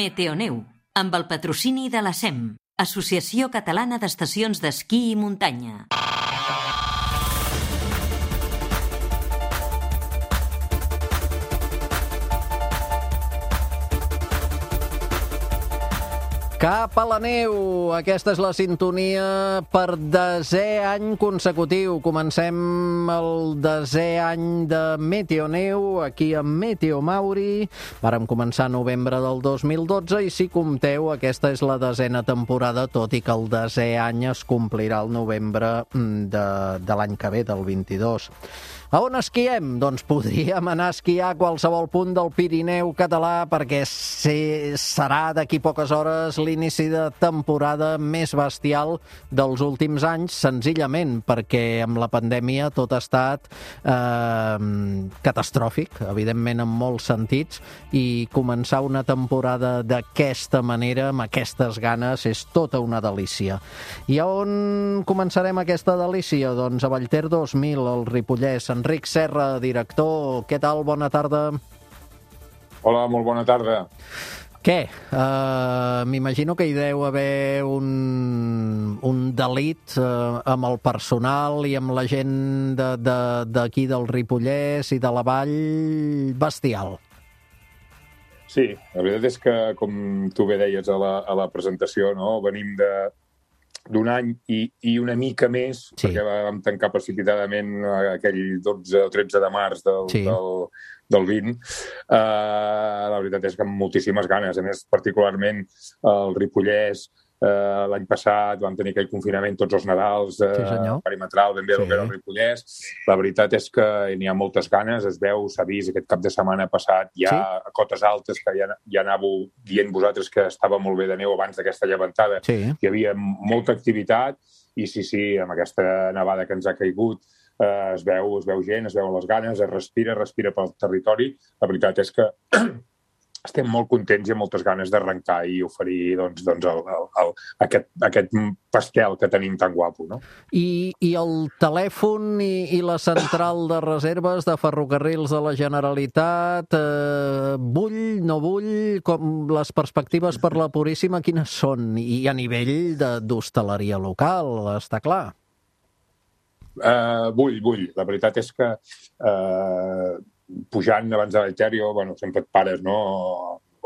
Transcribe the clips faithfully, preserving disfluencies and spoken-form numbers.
Meteoneu, amb el patrocini de la SEM, Associació Catalana d'Estacions d'Esquí i Muntanya. Cap a la neu! Aquesta és la sintonia per desè any consecutiu. Comencem el desè any de Meteoneu, aquí a Meteo Mauri. Vàrem començar a novembre del dos mil dotze i, si compteu, aquesta és la desena temporada, tot i que el desè any es complirà el novembre de, de l'any que ve, del vint-i-dos. A on esquiem? Doncs podríem anar a esquiar a qualsevol punt del Pirineu català, perquè serà d'aquí poques hores l'inici de temporada més bestial dels últims anys, senzillament perquè amb la pandèmia tot ha estat eh, catastròfic, evidentment en molts sentits, i començar una temporada d'aquesta manera, amb aquestes ganes, és tota una delícia. I a on començarem aquesta delícia? Doncs a Vallter dos mil, al Ripollès. Enric Serra, director, què tal? Bona tarda. Hola, molt bona tarda. Què? Uh, M'imagino que hi deu haver un, un delit uh, amb el personal i amb la gent d'aquí de, de, del Ripollès i de la Vall bestial. Sí, la veritat és que, com tu bé deies a la, a la presentació, no? Venim de d'un any i, i una mica més, sí, perquè vam tancar precipitadament aquell dotze o tretze de març del, sí. del, del vint. Uh, la veritat és que amb moltíssimes ganes. A més, particularment el Ripollès, uh, l'any passat vam tenir aquell confinament tots els Nadals, uh, sí, perimetral, ben bé sí. El que era el Ripollès. La veritat és que n'hi ha moltes ganes, es veu, s'ha vist aquest cap de setmana passat, ja sí. A cotes altes, que ja, ja anàveu dient vosaltres que estava molt bé de neu abans d'aquesta llevantada. Sí. Hi havia molta activitat i sí, sí, amb aquesta nevada que ens ha caigut, eh, es veu, es veu gent, es veuen les ganes, es respira, respira pel territori. La veritat és que estem molt contents i amb moltes ganes d'arrencar i oferir doncs, doncs el, el, el, aquest, aquest pastel que tenim tan guapo, no? I, i el telèfon i, i la central de reserves de Ferrocarrils de la Generalitat, eh, bull, no bull, com les perspectives per la Puríssima, quines són? I a nivell d'hostaleria local, està clar. Uh, bull, bull. La veritat és que uh, pujant abans de l'Alterio, bueno, sempre et pares, no?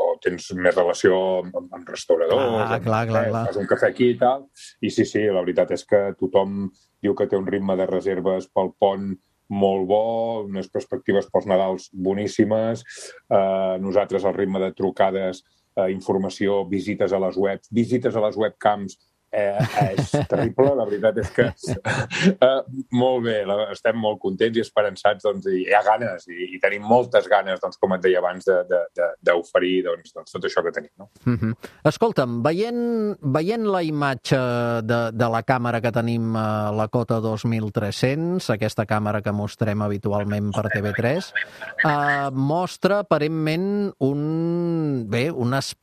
O tens més relació amb, amb restauradors, ah, clar, amb, clar, eh, clar. fas un cafè aquí i tal. I sí, sí, la veritat és que tothom diu que té un ritme de reserves pel pont molt bo, unes perspectives pels Nadals boníssimes. Uh, nosaltres, el ritme de trucades, uh, informació, visites a les webs, visites a les webcams, Eh, és terrible, la veritat és que eh, molt bé, la, estem molt contents i esperançats, doncs, i hi ha ganes, i, i tenim moltes ganes, doncs, com et deia abans, d'oferir doncs, doncs, tot això que tenim. No? Mm-hmm. Escolta'm, veient, veient la imatge de, de la càmera que tenim a la Cota dos mil tres-cents, aquesta càmera que mostrem habitualment per T V tres, eh, mostra aparentment un, bé, un aspecte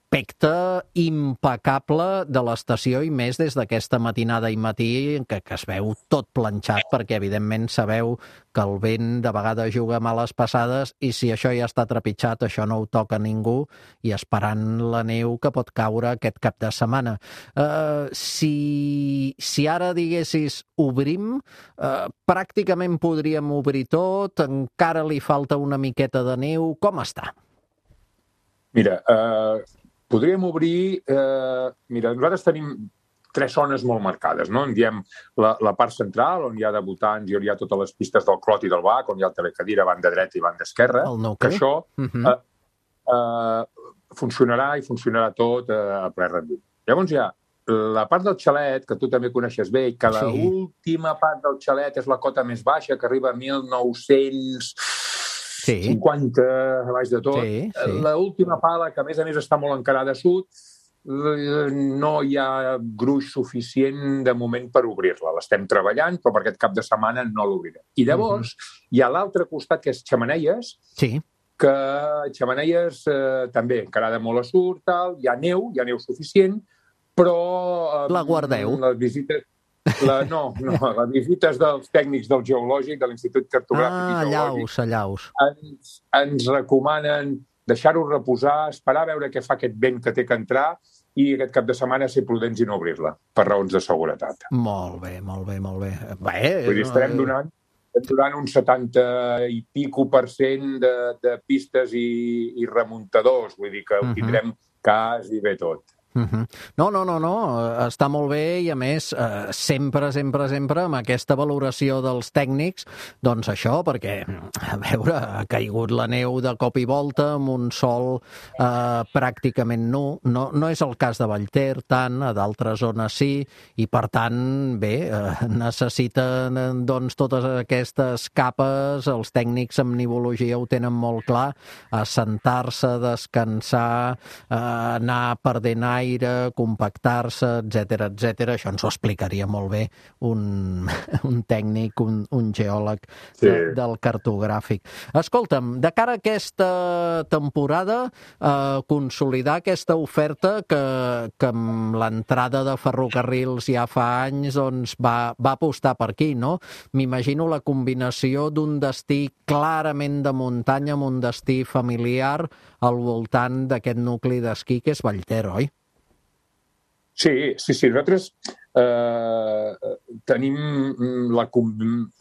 impecable de l'estació, i més des d'aquesta matinada i matí que, que es veu tot planxat, perquè evidentment sabeu que el vent de vegades juga males passades i si això ja està trepitjat, això no ho toca ningú, i esperant la neu que pot caure aquest cap de setmana. Uh, si, si ara diguessis obrim, uh, pràcticament podríem obrir tot, encara li falta una miqueta de neu, com està? Mira, eh... Uh... Podríem obrir... Eh, mira, nosaltres tenim tres zones molt marcades, no? En diem la, la part central, on hi ha debutants i on hi ha totes les pistes del Clot i del Bac, on hi ha el telecadira, banda dreta i banda esquerra. El nou que això uh-huh. eh, eh, funcionarà i funcionarà tot eh, a ple rendiment. Llavors hi ha la part del xalet, que tu també coneixes bé, i que sí. L'última part del xalet és la cota més baixa, que arriba a mil nou-cents... Sí. cinquanta a baix de tot. Sí, sí. L'última pala, que a més a més està molt encarada a sud, no hi ha gruix suficient de moment per obrir-la. L'estem treballant, però per aquest cap de setmana no l'obrirem. I llavors uh-huh. hi ha l'altre costat, que és Xemeneies, sí. que Xemeneies eh, també encarada molt a sud, tal, hi ha neu, hi ha neu suficient, però... Eh, la guardeu. Les visites... La, no, no, les visites dels tècnics del geològic, de l'Institut Cartogràfic ah, i Geològic, allaus, allaus. Ens, ens recomanen deixar-ho reposar, esperar a veure què fa aquest vent que té que entrar i aquest cap de setmana ser prudents i no obrir-la, per raons de seguretat. Molt bé, molt bé, molt bé. bé Vull dir, estarem donant, estarem donant un setanta i pico per cent de, de pistes i, i remuntadors, vull dir que ho tindrem quasi bé tot. Uh-huh. No, no, no, no, està molt bé i a més eh, sempre, sempre, sempre amb aquesta valoració dels tècnics, doncs això, perquè a veure, ha caigut la neu de cop i volta amb un sol eh, pràcticament nu, no, no és el cas de Vallter tant, a d'altres zones sí, i per tant, bé, eh, necessiten doncs totes aquestes capes, els tècnics amb nivologia ho tenen molt clar, assentar-se, descansar, eh, anar perdent aire, compactar-se, etcètera, etcètera. Això ens ho explicaria molt bé un, un tècnic, un, un geòleg Sí. de, del cartogràfic. Escolta'm, de cara a aquesta temporada, eh, consolidar aquesta oferta que, que amb l'entrada de ferrocarrils ja fa anys doncs va, va apostar per aquí, no? M'imagino la combinació d'un destí clarament de muntanya amb un destí familiar al voltant d'aquest nucli d'esquí que és Vallter, oi? Sí, sí, sí. Nosaltres eh, tenim la,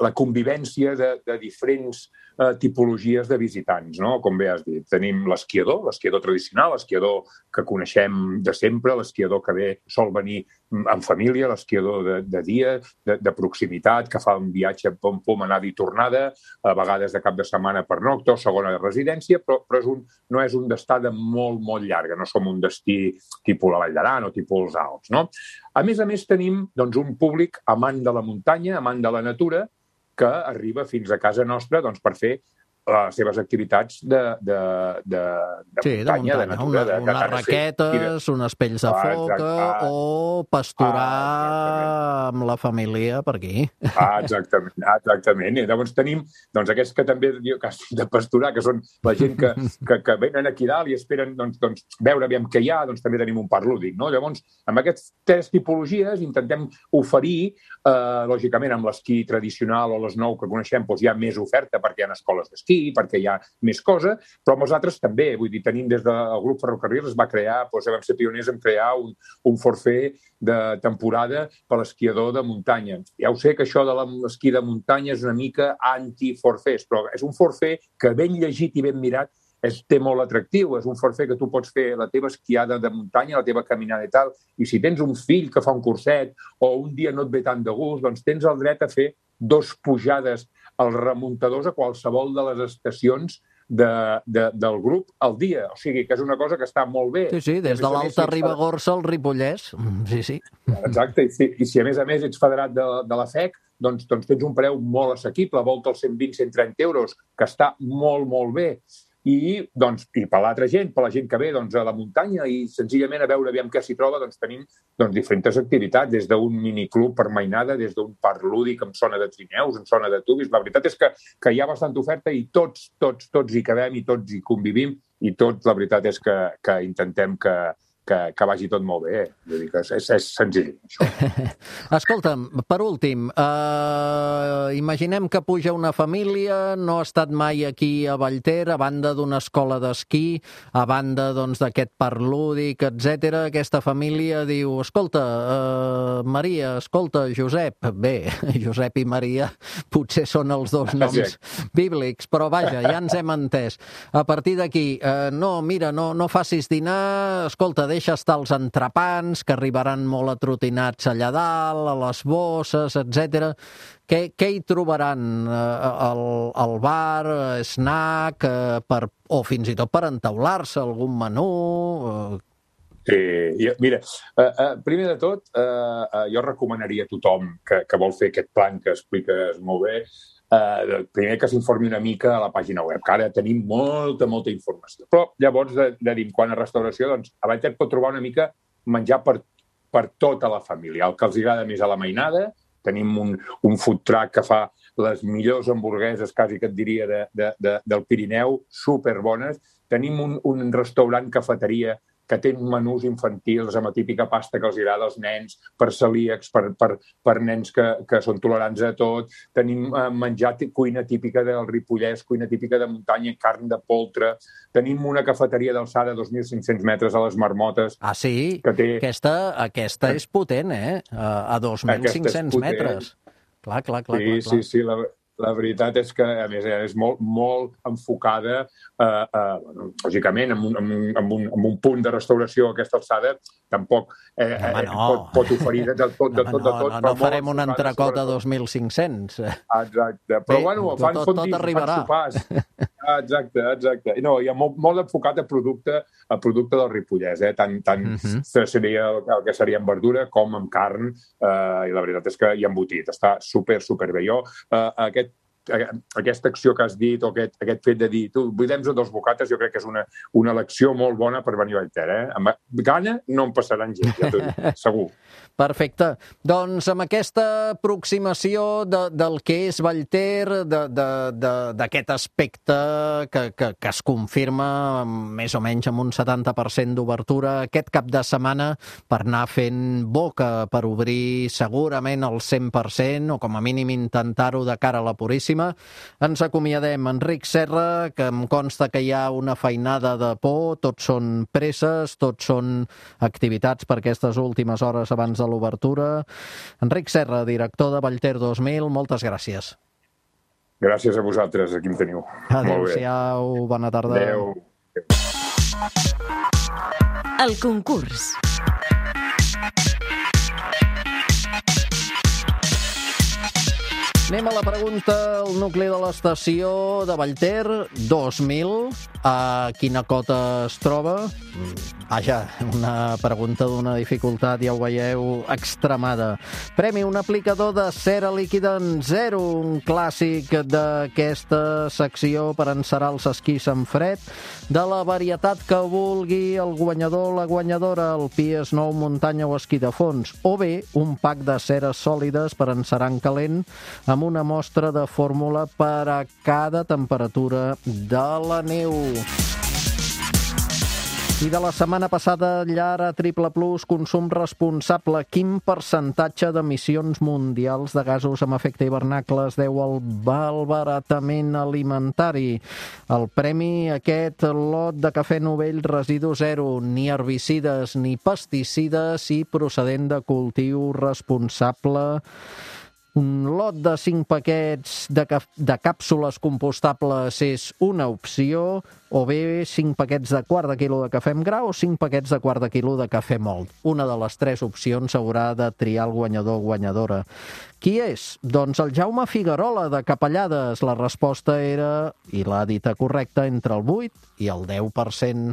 la convivència de, de diferents eh, tipologies de visitants, no? Com bé has dit. Tenim l'esquiador, l'esquiador tradicional, l'esquiador que coneixem de sempre, l'esquiador que ve sol venir en família, l'esquiador de, de dia, de, de proximitat, que fa un viatge pom-pom, anada i tornada, a vegades de cap de setmana per nocta o segona de residència, però, però és un, no és un d'estada molt, molt llarga. No som un destí tipus la Vall d'Aran o tipus els Alps, no? A més a més, tenim doncs, un públic amant de la muntanya, amant de la natura, que arriba fins a casa nostra doncs, per fer les seves activitats de, de, de, de, sí, muntanya, de muntanya, de natura. una, de, unes raquetes, unes pells de ah, foca ah, o pasturar ah, amb la família per aquí. Ah, exactament, exactament. I llavors tenim doncs, aquests que també diu que de pasturar, que són la gent que, que, que venen aquí dalt i esperen doncs, doncs, veure aviam què hi ha, doncs també tenim un parc lúdic. No? Llavors, amb aquestes tres tipologies intentem oferir, eh, lògicament, amb l'esquí tradicional o les nou que coneixem, doncs hi ha més oferta perquè hi ha escoles d'esquí, perquè hi ha més cosa, però amb els altres també. Vull dir, tenim des del grup Ferrocarrils es va crear, doncs vam ser pioners en crear un, un forfait de temporada per l'esquiador de muntanya. Ja ho sé que això de l'esquí de muntanya és una mica anti-forfets, però és un forfait que ben llegit i ben mirat és, té molt atractiu. És un forfait que tu pots fer la teva esquiada de muntanya, la teva caminada i tal, i si tens un fill que fa un curset o un dia no et ve tant de gust, doncs tens el dret a fer dos pujades als remuntadors a qualsevol de les estacions de, de, del grup al dia. O sigui, que és una cosa que està molt bé. Sí, sí, des de l'Alta Ribagorça al Ripollès. Sí, sí. Exacte, i si, i si a més a més ets federat de, de la F E C, doncs, doncs tens un preu molt assequible, volta als cent vint a cent trenta euros, que està molt, molt bé. I, doncs, i per l'altra gent, per la gent que ve doncs, a la muntanya i senzillament a veure aviam què s'hi troba, doncs tenim doncs, diferents activitats, des d'un miniclub per mainada, des d'un parc lúdic amb zona de trineus, amb zona de tubis. La veritat és que, que hi ha bastanta oferta i tots, tots, tots hi cabem i tots hi convivim i tots, la veritat és que, que intentem que, que, que vagi tot molt bé. Vull dir que és, és senzill, això. Escolta'm, per últim, eh, imaginem que puja una família, no ha estat mai aquí a Vallter, a banda d'una escola d'esquí, a banda doncs, d'aquest parc lúdic, etcètera. Aquesta família diu, escolta, eh, Maria, escolta, Josep, bé, Josep i Maria potser són els dos noms bíblics, però vaja, ja ens hem entès. A partir d'aquí, eh, no, mira, no, no facis dinar, escolta, deixa estar els entrepans, que arribaran molt atrotinats allà dalt, a les bosses, etcètera. Què, què hi trobaran al, al bar, snack, per, o fins i tot per entaular-se, algun menú? Sí, mira, uh, uh, primer de tot, uh, uh, jo recomanaria a tothom que, que vol fer aquest plan que expliques molt bé, Uh, primer que s'informi una mica a la pàgina web, que ara tenim molta, molta informació. Però llavors, de, de dir, quan a restauració, doncs, a Vallter pot trobar una mica menjar per, per tota la família. El que els agrada més a la mainada, tenim un, un food truck que fa les millors hamburgueses, quasi que et diria, de, de, de, del Pirineu, superbones. Tenim un, un restaurant cafeteria que tenen menús infantils amb la típica pasta que els agrada als nens, per celíacs, per, per, per nens que, que són tolerants a tot. Tenim eh, menjar, cuina típica del Ripollès, cuina típica de muntanya, carn de poltre. Tenim una cafeteria d'alçada de dos mil cinc-cents metres a les Marmotes. Ah, sí? Que té... Aquesta, aquesta és potent, eh? A dos mil cinc-cents metres. Clar, clar, clar. Sí, clar, clar. sí, sí, la... La veritat és que, a més, és molt, molt enfocada, eh, eh, bueno, lògicament, amb un, amb, un, amb, un, amb un punt de restauració a aquesta alçada, tampoc eh, Home, no. pot, pot oferir de tot, de tot, de tot. No, no, no farem un entrecot a dos mil cinc-cents. Exacte, però Bé, bueno, fan tot, tot fondis, arribarà. fan sopars. Exacte, exacte. No, hi ha molt, molt enfocat a producte, a producte del Ripollès, eh? Tant, tant uh-huh. seria el, el que seria en verdura com amb carn, eh, i la veritat és que hi ha embotit. Està super, super bé. Jo, eh, aquest aquesta acció que has dit, o aquest, aquest fet de dir tu, buidem-nos a dos bocates, jo crec que és una, una elecció molt bona per venir a Vallter, eh? Amb gana no em passaran gent, ja t'ho dic, segur. Perfecte. Doncs amb aquesta aproximació de, del que és Vallter, d'aquest aspecte que, que, que es confirma més o menys amb un setanta per cent d'obertura aquest cap de setmana per anar fent boca, per obrir segurament el cent per cent o com a mínim intentar-ho de cara a la Puríssima. Ens acomiadem. Enric Serra, que em consta que hi ha una feinada de por, tots són presses, tots són activitats per aquestes últimes hores abans de l'obertura. Enric Serra, director de Vallter dos mil, moltes gràcies. Gràcies a vosaltres, aquí em teniu. Adéu-siau, bona tarda. Adéu. El concurs. Anem a la pregunta, el nucli de l'estació de Vallter dos mil. A quina cota es troba? Vaja, una pregunta d'una dificultat, ja ho veieu, extremada. Premi, un aplicador de cera líquida en zero, un clàssic d'aquesta secció per encerar els esquís en fred, de la varietat que vulgui el guanyador o la guanyadora, el P S nou, muntanya o esquí de fons, o bé un pack de ceres sòlides per encerar en calent amb una mostra de fórmula per a cada temperatura de la neu. I de la setmana passada, llar a Triple Plus, consum responsable. Quin percentatge d'emissions mundials de gasos amb efecte hivernacle es deu al malbaratament alimentari? El premi, aquest lot de cafè Novell residu zero, ni herbicides ni pesticides i procedent de cultiu responsable. Un lot de cinc paquets de, de càpsules compostables és una opció, o bé cinc paquets de quart de quilo de cafè amb gra o cinc paquets de quart de quilo de cafè mòlt. Una de les tres opcions haurà de triar el guanyador o guanyadora. Qui és? Doncs el Jaume Figuerola, de Capellades. La resposta era, i l'ha dita correcta, entre el vuit i el deu per cent.